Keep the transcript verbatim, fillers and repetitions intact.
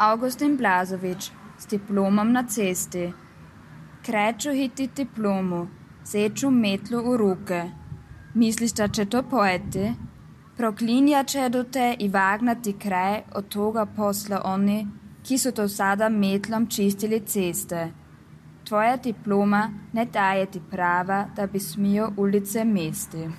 Augustin Blažević s diplomom na cesti. Kreću hiti diplomu, seču metlu u ruke. Misliš da će to pojeti? Proklinja će do te i vagnati kraj od toga posla oni, ki su do sada metlom čistili ceste. Tvoja diploma ne daje ti prava da bi smio ulice mesti.